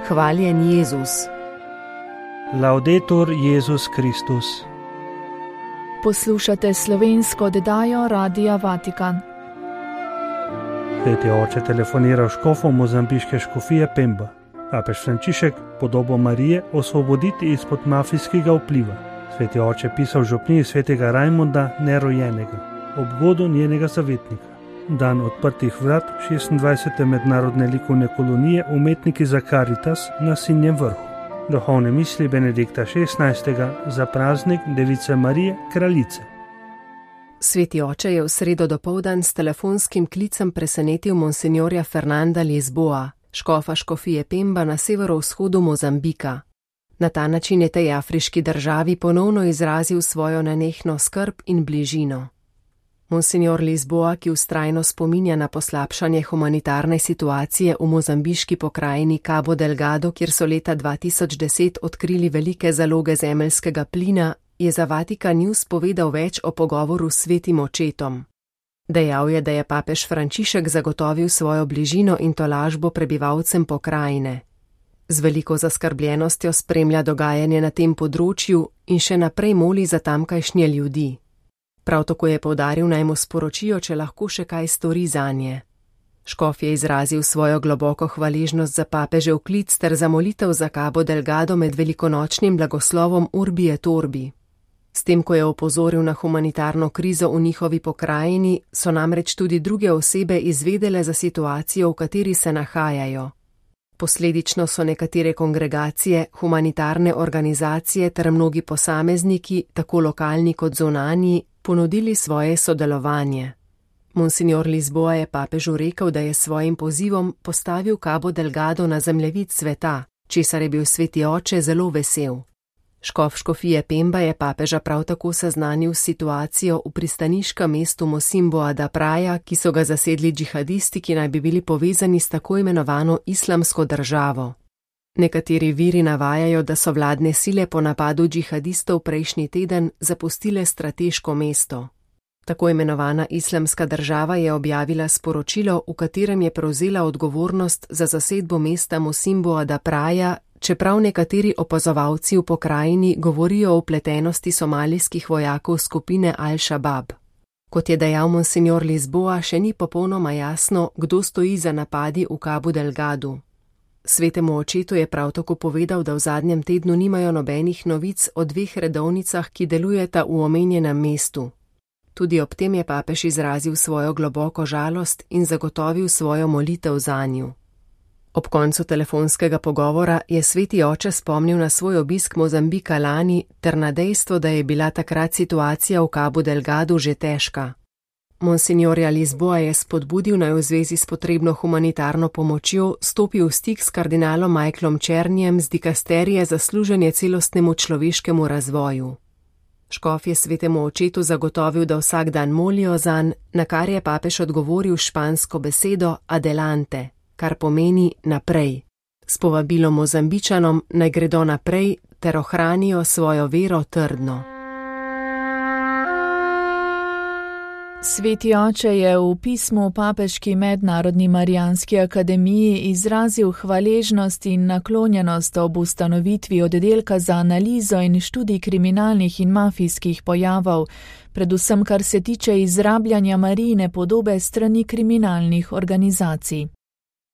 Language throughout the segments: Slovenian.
Hvaljen Jezus. Laudetur Jezus Kristus. Poslušate slovensko oddajo Radia Vatikan. Sveti oče telefonira škofom mozambiške škofije Pemba. Papež Frančišek podobo Marije osvoboditi izpod mafijskega vpliva. Sveti oče pisal župniji svetega Rajmonda nerojenega, ob godu njenega zavetnika. Dan odprtih vrat 26. mednarodne likovne kolonije Umetniki za Caritas na Sinjem vrhu. Duhovne misli Benedikta XVI. Za praznik Device Marije, kraljice. Sveti oče je v sredo dopoldan s telefonskim klicem presenetil monsinjorja Fernanda Lisboa, škofa škofije Pemba na severovzhodu Mozambika. Na ta način je tej afriški državi ponovno izrazil svojo nenehno skrb in bližino. Monsinjor Lisboa, ki vztrajno spominja na poslabšanje humanitarne situacije v mozambiški pokrajini Cabo Delgado, kjer so leta 2010 odkrili velike zaloge zemeljskega plina, je za Vatikan News povedal več o pogovoru s svetim očetom. Dejal je, da je papež Frančišek zagotovil svojo bližino in tolažbo prebivalcem pokrajine. Z veliko zaskrbljenostjo spremlja dogajanje na tem področju in še naprej moli za tamkajšnje ljudi. Prav tako je poudaril, naj mu sporočijo, če lahko še kaj stori zanje. Škof je izrazil svojo globoko hvaležnost za papežev klic ter za molitev za Cabo Delgado med velikonočnim blagoslovom Urbi et Orbi. S tem, ko je opozoril na humanitarno krizo v njihovi pokrajini, so namreč tudi druge osebe izvedele za situacijo, v kateri se nahajajo. Posledično so nekatere kongregacije, humanitarne organizacije ter mnogi posamezniki, tako lokalni kot zunanji, ponudili svoje sodelovanje. Monsinjor Lisboa je papežu rekel, da je svojim pozivom postavil Cabo Delgado na zemljevid sveta, česar je bil sveti oče zelo vesel. Škof škofije Pemba je papeža prav tako seznanil s situacijo v pristaniškem mestu Mosimboa da Praia, ki so ga zasedli džihadisti, ki naj bi bili povezani s tako imenovano islamsko državo. Nekateri viri navajajo, da so vladne sile po napadu džihadistov prejšnji teden zapustile strateško mesto. Tako imenovana islamska država je objavila sporočilo, v katerem je prevzela odgovornost za zasedbo mesta Mosimboa da Praia, čeprav nekateri opazovalci v pokrajini govorijo o vpletenosti somalijskih vojakov skupine Al-Shabaab. Kot je dejal monsinjor Lisboa, še ni popolnoma jasno, kdo stoji za napadi v Cabo Delgadu. Svetemu očetu je prav tako povedal, da v zadnjem tednu nimajo nobenih novic o dveh redovnicah, ki delujeta v omenjenem mestu. Tudi ob tem je papež izrazil svojo globoko žalost in zagotovil svojo molitev zanju. Ob koncu telefonskega pogovora je sveti oče spomnil na svoj obisk Mozambika lani ter na dejstvo, da je bila takrat situacija v Cabo Delgadu že težka. Monsinjorja Lisboa je spodbudil, naj v zvezi s potrebno humanitarno pomočjo stopi v stik s kardinalom Michaelom Černjem z dikasterije za služenje celostnemu človeškemu razvoju. Škof je svetemu očetu zagotovil, da vsak dan molijo zanj, na kar je papež odgovoril špansko besedo adelante, kar pomeni naprej. S povabilom Mozambičanom naj gredo naprej ter ohranijo svojo vero trdno. Sveti oče je v pismu Papeški mednarodni Marijanski akademiji izrazil hvaležnost in naklonjenost ob ustanovitvi oddelka za analizo in študij kriminalnih in mafijskih pojavov, predvsem kar se tiče izrabljanja Marijine podobe strani kriminalnih organizacij.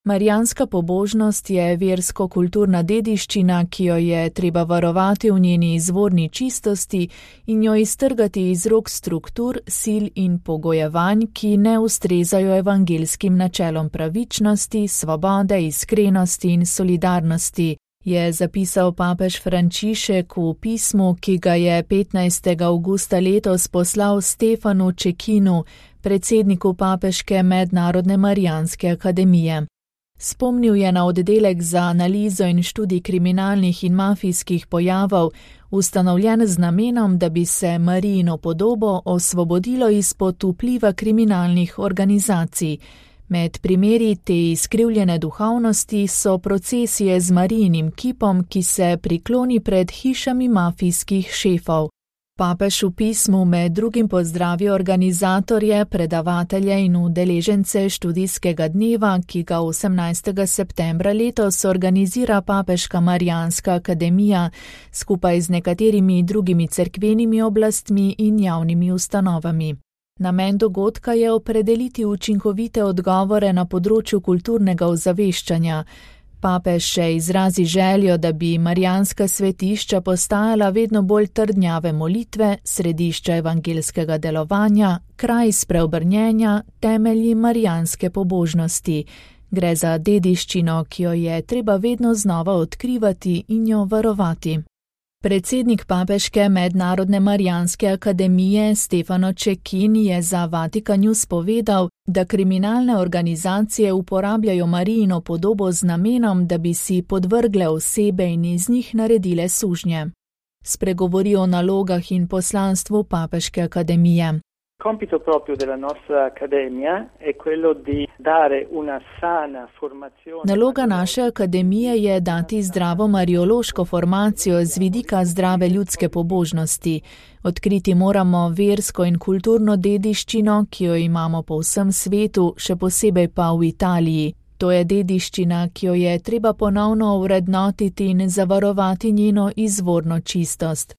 Marijanska pobožnost je versko-kulturna dediščina, ki jo je treba varovati v njeni izvorni čistosti in jo iztrgati iz rok struktur, sil in pogojevanj, ki ne ustrezajo evangeljskim načelom pravičnosti, svobode, iskrenosti in solidarnosti, je zapisal papež Frančišek v pismu, ki ga je 15. avgusta letos poslal Stefanu Čekinu, predsedniku Papeške mednarodne Marijanske akademije. Spomnil je na oddelek za analizo in študij kriminalnih in mafijskih pojavov, ustanovljen z namenom, da bi se Marijino podobo osvobodilo izpod vpliva kriminalnih organizacij. Med primeri te izkrivljene duhovnosti so procesije z Marijinim kipom, ki se prikloni pred hišami mafijskih šefov. Papež v pismu med drugim pozdravi organizatorje, predavatelje in udeležence študijskega dneva, ki ga 18. septembra letos organizira Papeška Marijanska akademija skupaj z nekaterimi drugimi cerkvenimi oblastmi in javnimi ustanovami. Namen dogodka je opredeliti učinkovite odgovore na področju kulturnega ozaveščanja. Papež še izrazi željo, da bi marijanska svetišča postajala vedno bolj trdnjave molitve, središča evangelskega delovanja, kraj spreobrnjenja, temelji marijanske pobožnosti. Gre za dediščino, ki jo je treba vedno znova odkrivati in jo varovati. Predsednik Papeške mednarodne marijanske akademije Stefano Cecchin je za Vatikan News povedal, da kriminalne organizacije uporabljajo Marijino podobo z namenom, da bi si podvrgle osebe in iz njih naredile sužnje. Spregovori o nalogah in poslanstvu Papeške akademije. Compito proprio della nostra accademia è quello di dare una sana formazione. Naloga naše akademije je dati zdravo mariološko formacijo z vidika zdrave ljudske pobožnosti. Odkriti moramo versko in kulturno dediščino, ki jo imamo po vsem svetu, še posebej pa v Italiji. To je dediščina, ki jo je treba ponovno ovrednotiti in zavarovati njeno izvorno čistost.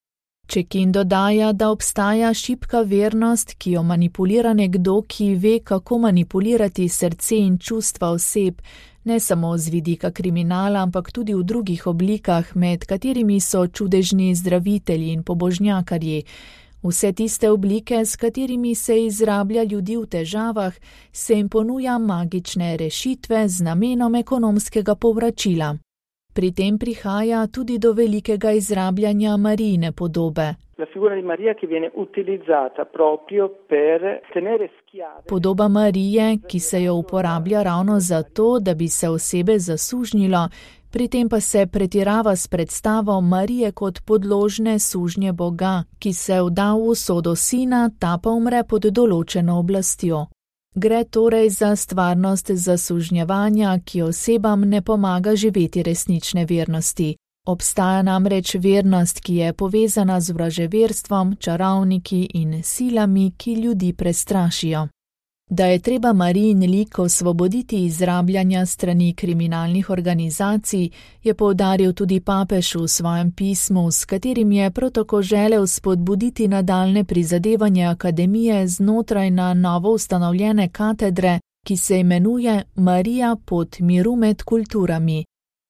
Cecchin dodaja, da obstaja šibka vernost, ki jo manipulira nekdo, ki ve, kako manipulirati srce in čustva oseb, ne samo z vidika kriminala, ampak tudi v drugih oblikah, med katerimi so čudežni zdravitelji in pobožnjakarji. Vse tiste oblike, s katerimi se izrablja ljudi v težavah, se jim ponuja magične rešitve z namenom ekonomskega povračila. Pri tem prihaja tudi do velikega izrabljanja Marijine podobe. Podoba Marije, ki se jo uporablja ravno zato, da bi se osebe zasužnjilo, pri tem pa se pretirava s predstavo Marije kot podložne sužnje Boga, ki se vda v usodo sina, ta pa umre pod določeno oblastjo. Gre torej za stvarnost zasužnjevanja, ki osebam ne pomaga živeti resnične vernosti. Obstaja namreč vernost, ki je povezana z vraževerstvom, čarovniki in silami, ki ljudi prestrašijo. Da je treba Marijin lik osvoboditi izrabljanja strani kriminalnih organizacij, je poudaril tudi papež v svojem pismu, s katerim je prav tako želel spodbuditi nadaljne prizadevanje akademije znotraj na novo ustanovljene katedre, ki se imenuje Marija pot miru med kulturami.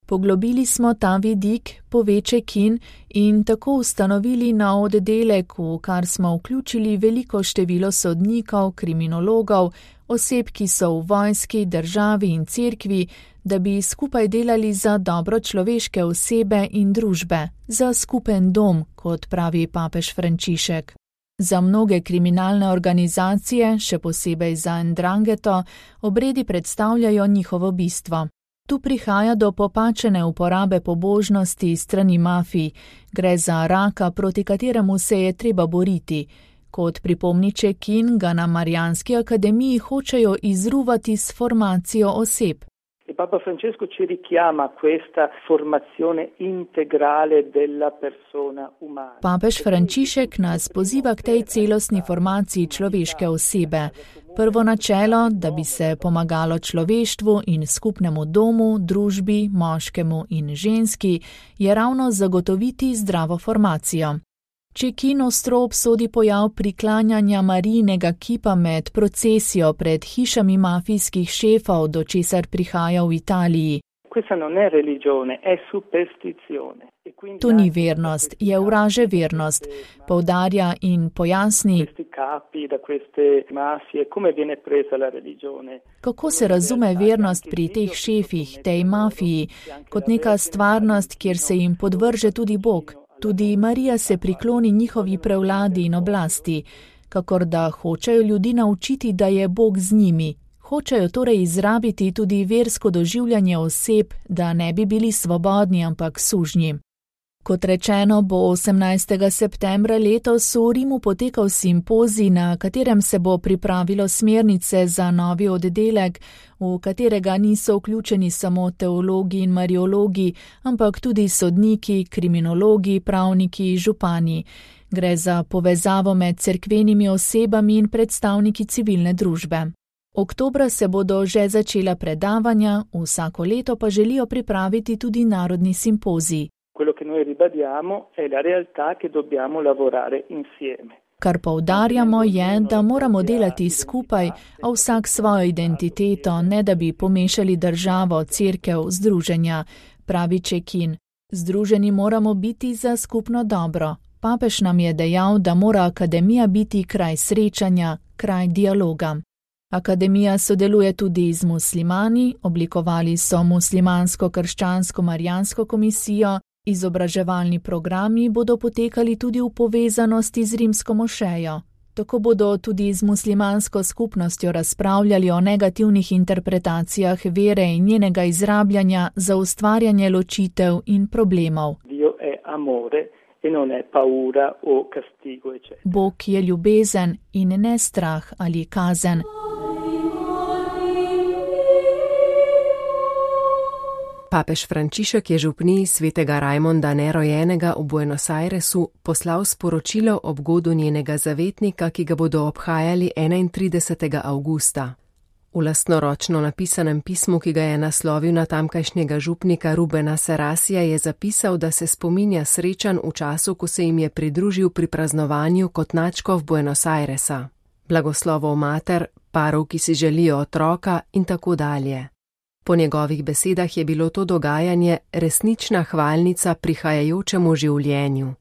Poglobili smo ta vidik, pove Cecchin, in tako ustanovili nov oddelek, v kar smo vključili veliko število sodnikov, kriminologov, oseb, ki so v vojski, državi in cerkvi, da bi skupaj delali za dobro človeške osebe in družbe, za skupen dom, kot pravi papež Frančišek. Za mnoge kriminalne organizacije, še posebej za 'Ndrangheta, obredi predstavljajo njihovo bistvo. Tu prihaja do popačene uporabe pobožnosti strani mafij, gre za raka, proti kateremu se je treba boriti. Kot pripomni Cecchin, ga na Marijanski akademiji hočejo izruvati s formacijo oseb. Papa Francesco ci richiama questa formazione integrale della persona umana. Papež Frančišek nas poziva k tej celostni formaciji človeške osebe. Prvo načelo, da bi se pomagalo človeštvu in skupnemu domu, družbi, moškemu in ženski, je ravno zagotoviti zdravo formacijo. Cecchin ostro obsodi pojav priklanjanja Marijinega kipa med procesijo pred hišami mafijskih šefov, do česar prihaja v Italiji. To ni vernost, je vraže vernost, poudarja in pojasni, kako se razume vernost pri teh šefih, tej mafiji, kot neka stvarnost, kjer se jim podvrže tudi Bog. Tudi Marija se prikloni njihovi prevladi in oblasti, kakor da hočejo ljudi naučiti, da je Bog z njimi. Hočejo torej izrabiti tudi versko doživljanje oseb, da ne bi bili svobodni, ampak sužnji. Kot rečeno, bo 18. septembra letos v Rimu potekal simpozij, na katerem se bo pripravilo smernice za novi oddelek, v katerega niso vključeni samo teologi in mariologi, ampak tudi sodniki, kriminologi, pravniki, župani. Gre za povezavo med cerkvenimi osebami in predstavniki civilne družbe. Oktobra se bodo že začela predavanja, vsako leto pa želijo pripraviti tudi narodni simpozij. Quello che noi ribadiamo è la realtà che dobbiamo lavorare insieme. Kar poudarjamo je, da moramo delati skupaj, a vsak svojo identiteto, ne da bi pomešali državo, cerkev, združenja, pravi Čekin. Združeni moramo biti za skupno dobro. Papež nam je dejal, da mora akademija biti kraj srečanja, kraj dialoga. Akademija sodeluje tudi z muslimani, oblikovali so muslimansko-krščansko-marijansko komisijo, izobraževalni programi bodo potekali tudi v povezanosti z rimsko mošejo. Tako bodo tudi z muslimansko skupnostjo razpravljali o negativnih interpretacijah vere in njenega izrabljanja za ustvarjanje ločitev in problemov. Dio è amore e non è paura o castigo, eccetera. Bog je ljubezen in ne strah ali kazen. Papež Frančišek je župniji svetega Rajmonda nerojenega v Buenos Airesu poslal sporočilo ob godu njenega zavetnika, ki ga bodo obhajali 31. avgusta. V lastnoročno napisanem pismu, ki ga je naslovil na tamkajšnjega župnika Rubena Serasija, je zapisal, da se spominja srečanj v času, ko se jim je pridružil pri praznovanju kot nadškof Buenos Airesa. Blagoslovov mater, parov, ki si želijo otroka in tako dalje. Po njegovih besedah je bilo to dogajanje resnična hvalnica prihajajočemu življenju.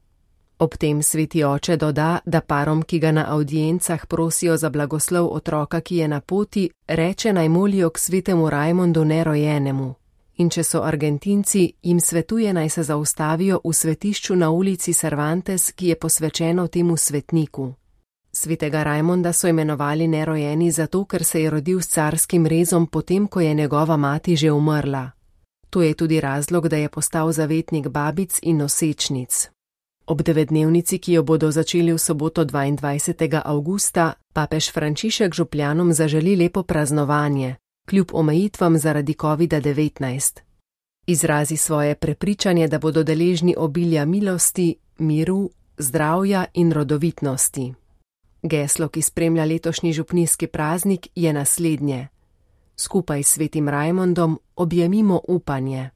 Ob tem sveti oče doda, da parom, ki ga na avdiencah prosijo za blagoslov otroka, ki je na poti, reče naj molijo k svetemu Rajmondu nerojenemu. In če so Argentinci, jim svetuje naj se zaustavijo v svetišču na ulici Cervantes, ki je posvečeno temu svetniku. Svetega Rajmonda so imenovali nerojeni zato, ker se je rodil s carskim rezom potem, ko je njegova mati že umrla. To je tudi razlog, da je postal zavetnik babic in nosečnic. Ob 9-dnevnici, ki jo bodo začeli v soboto 22. avgusta, papež Frančišek župljanom zaželi lepo praznovanje, kljub omejitvam zaradi COVID-19. Izrazi svoje prepričanje, da bodo deležni obilja milosti, miru, zdravja in rodovitnosti. Geslo, ki spremlja letošnji župnijski praznik, je naslednje. Skupaj s svetim Rajmondom objemimo upanje.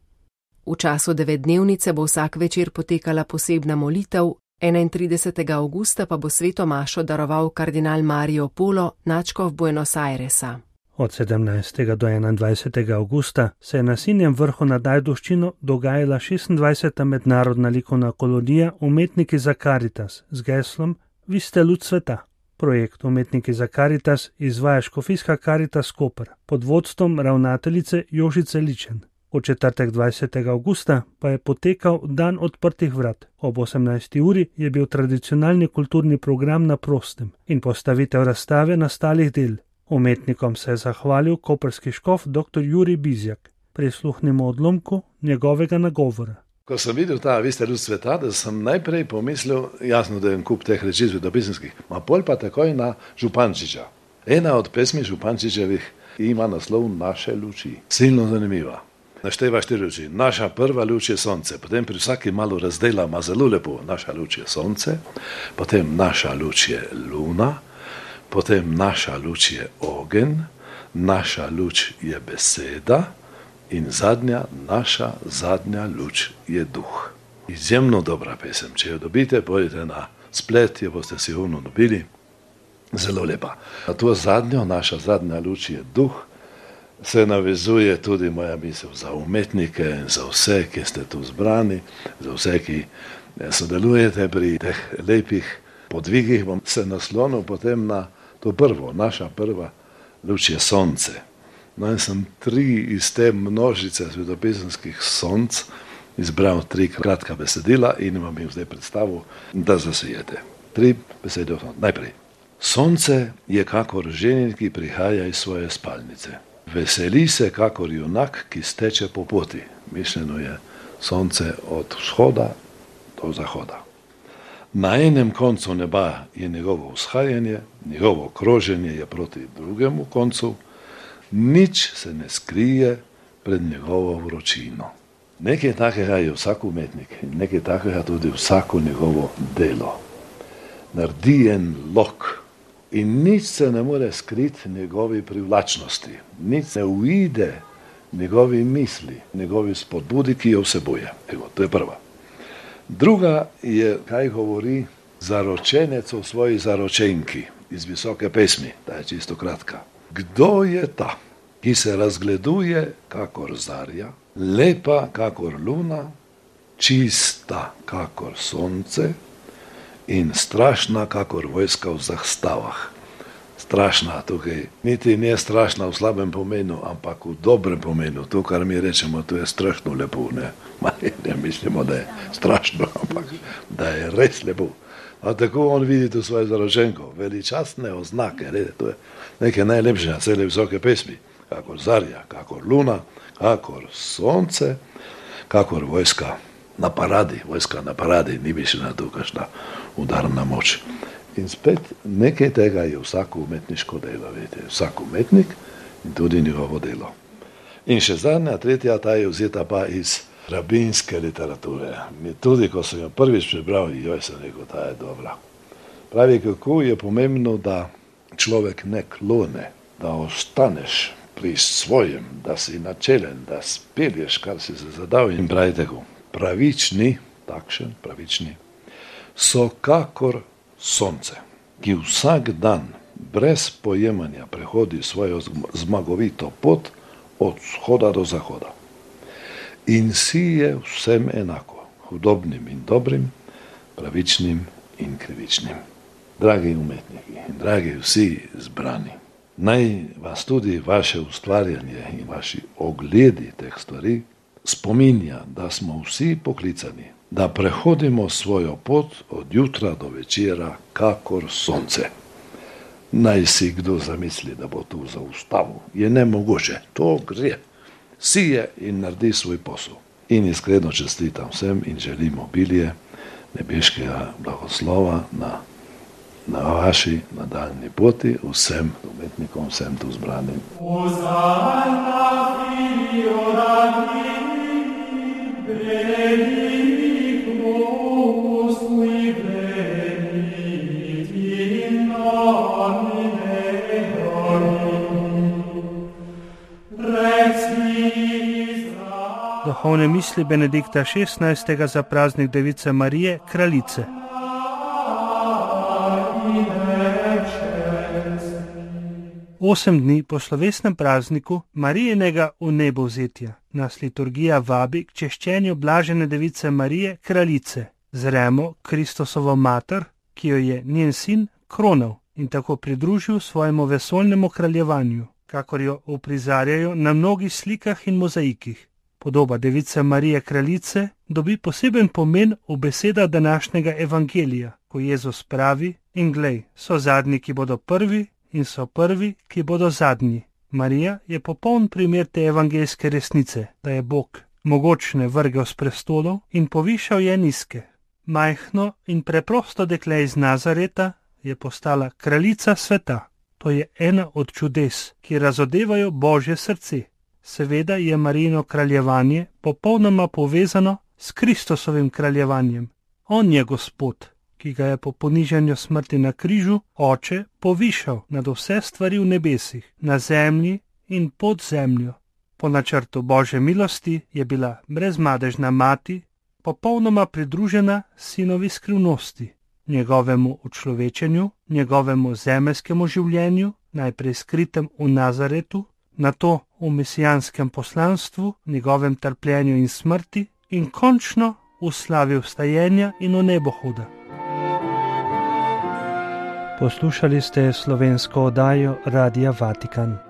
V času 9-dnevnice bo vsak večer potekala posebna molitev, 31. avgusta pa bo sveto mašo daroval kardinal Mario Polo, nadškof Buenos Airesa. Od 17. do 21. avgusta se je na Sinjem vrhu nad Ajdovščino dogajala 26. mednarodna likovna kolonija Umetniki za Caritas z geslom Vi ste luč sveta. Projekt Umetniki za Caritas izvaja škofijska Caritas Koper pod vodstvom ravnateljice Jožice Ličen. V četrtek 20. avgusta pa je potekal dan odprtih vrat. Ob 18. uri je bil tradicionalni kulturni program na prostem in postavitev razstave nastalih del. Umetnikom se je zahvalil koprski škof dr. Jurij Bizjak. Prisluhnimo odlomku njegovega nagovora. Ko sem videl ta Vi ste luč sveta, da sem najprej pomislil, jasno, da je en kup teh reči svetopisanskih, ma pol pa takoj na Župančiča. Ena od pesmi Župančičevih ima naslov Naše luči. Silno zanimiva. Našteva 4 luči. Naša prva luč je sonce, potem pri vsaki malo razdela, ima zelo lepo. Naša luč je sonce, potem naša luč je luna, potem naša luč je ogenj, naša luč je beseda in naša zadnja luč je duh. Izjemno dobra pesem. Če jo dobite, pojdite na splet, jo boste sigurno dobili. Zelo lepa. Na to zadnjo, naša zadnja luč je duh, se navezuje tudi moja misel za umetnike in za vse, ki ste tu zbrani, za vse, ki sodelujete pri teh lepih podvigih. Bom se naslonil potem na to prvo, naša prva luč je sonce. No in sem 3 iz te množice svetopisanskih sonc izbral 3 kratka besedila in vam jih zdaj predstavil, da zasijete. 3 besede. Najprej. Sonce je kakor ženin, ki prihaja iz svoje spalnice. Veseli se kakor junak, ki steče po poti. Mišljeno je sonce od vzhoda od zahoda. Na enem koncu neba je njegovo vzhajanje, njegovo kroženje je proti drugemu koncu, nič se ne skrije pred njegovo vročino. Nekaj takega je vsak umetnik in nekaj takega tudi vsako njegovo delo. Naredi en lok in nič se ne more skriti njegovi privlačnosti, nič ne uide njegovi misli, njegovi spodbudi, ki jo vsebuje. Evo, to je prva. Druga je, kaj govori zaročenec o svoji zaročenki iz Visoke pesmi, ta je čisto kratka. Kdo je ta, ki se razgleduje kakor zarja, lepa kakor luna, čista kakor sonce in strašna kakor vojska v zastavah. Strašna tukaj, niti ne strašna v slabem pomenu, ampak v dobrem pomenu. To, kar mi rečemo, to je strašno lepo, ne? Ne mislimo, da je strašno, ampak da je res lepo. A tako on vidi tu svojo zaročenko, veličastne oznake, to je nekaj najlepšega, cele Visoke pesmi, kakor zarja, kakor luna, kakor sonce, kakor vojska na paradi, ni mišljena tu kakšna udarna moč. In spet nekaj tega je vsako umetniško delo, vidite, vsak umetnik in tudi njegovo delo. In še zadnja, tretja, ta je vzeta pa iz rabinske literature. Tudi, ko sem jo prvič prebral, sem rekel, ta je dobra. Pravi, kako je pomembno, da človek ne klone, da ostaneš pri svojem, da si načelen, da spelješ, kar si se zadal. In pravi tako, pravični, so kakor sonce, ki vsak dan brez pojemanja prehodi svojo zmagovito pot od vzhoda do zahoda. In si je vsem enako, hudobnim in dobrim, pravičnim in krivičnim. Dragi umetniki in dragi vsi zbrani, naj vas tudi vaše ustvarjanje in vaši ogledi teh stvari spominja, da smo vsi poklicani, da prehodimo svojo pot od jutra do večera kakor sonce. Naj si kdo zamisli, da bo tu zaustavil. Je nemogoče, to gre. Sije in naredi svoj posel. In iskreno čestitam vsem in želim obilje nebeškega blagoslova na vaši nadaljnji poti, vsem umetnikom, vsem tu zbranim. Duhovne misli Benedikta XVI. Za praznik Device Marije, kraljice. Osem dni po slovesnem prazniku Marijinega vnebovzetja nas liturgija vabi k češčenju blažene Device Marije, kraljice. Zremo Kristusovo mater, ki jo je njen sin kronal in tako pridružil svojemu vesoljnemu kraljevanju, kakor jo uprizarjajo na mnogih slikah in mozaikih. Podoba Device Marije kraljice dobi poseben pomen v besedah današnjega evangelija, ko Jezus pravi: in glej, so zadnji, ki bodo prvi, in so prvi, ki bodo zadnji. Marija je popoln primer te evangeljske resnice, da je Bog mogočne vrgel s prestolov in povišal je nizke. Majhno in preprosto dekle iz Nazareta je postala kraljica sveta. To je ena od čudes, ki razodevajo Božje srce. Seveda je Marijino kraljevanje popolnoma povezano s Kristusovim kraljevanjem. On je Gospod, ki ga je po ponižanju smrti na križu Oče povišal nad vse stvari v nebesih, na zemlji in pod zemljo. Po načrtu Božje milosti je bila brezmadežna mati popolnoma pridružena sinovi skrivnosti, njegovemu učlovečenju, njegovemu zemeljskemu življenju, najprej skritem v Nazaretu, nato v mesijanskem poslanstvu, njegovem trpljenju in smrti in končno v slavi vstajenja in v nebohoda. Poslušali ste slovensko oddajo Radia Vatikan.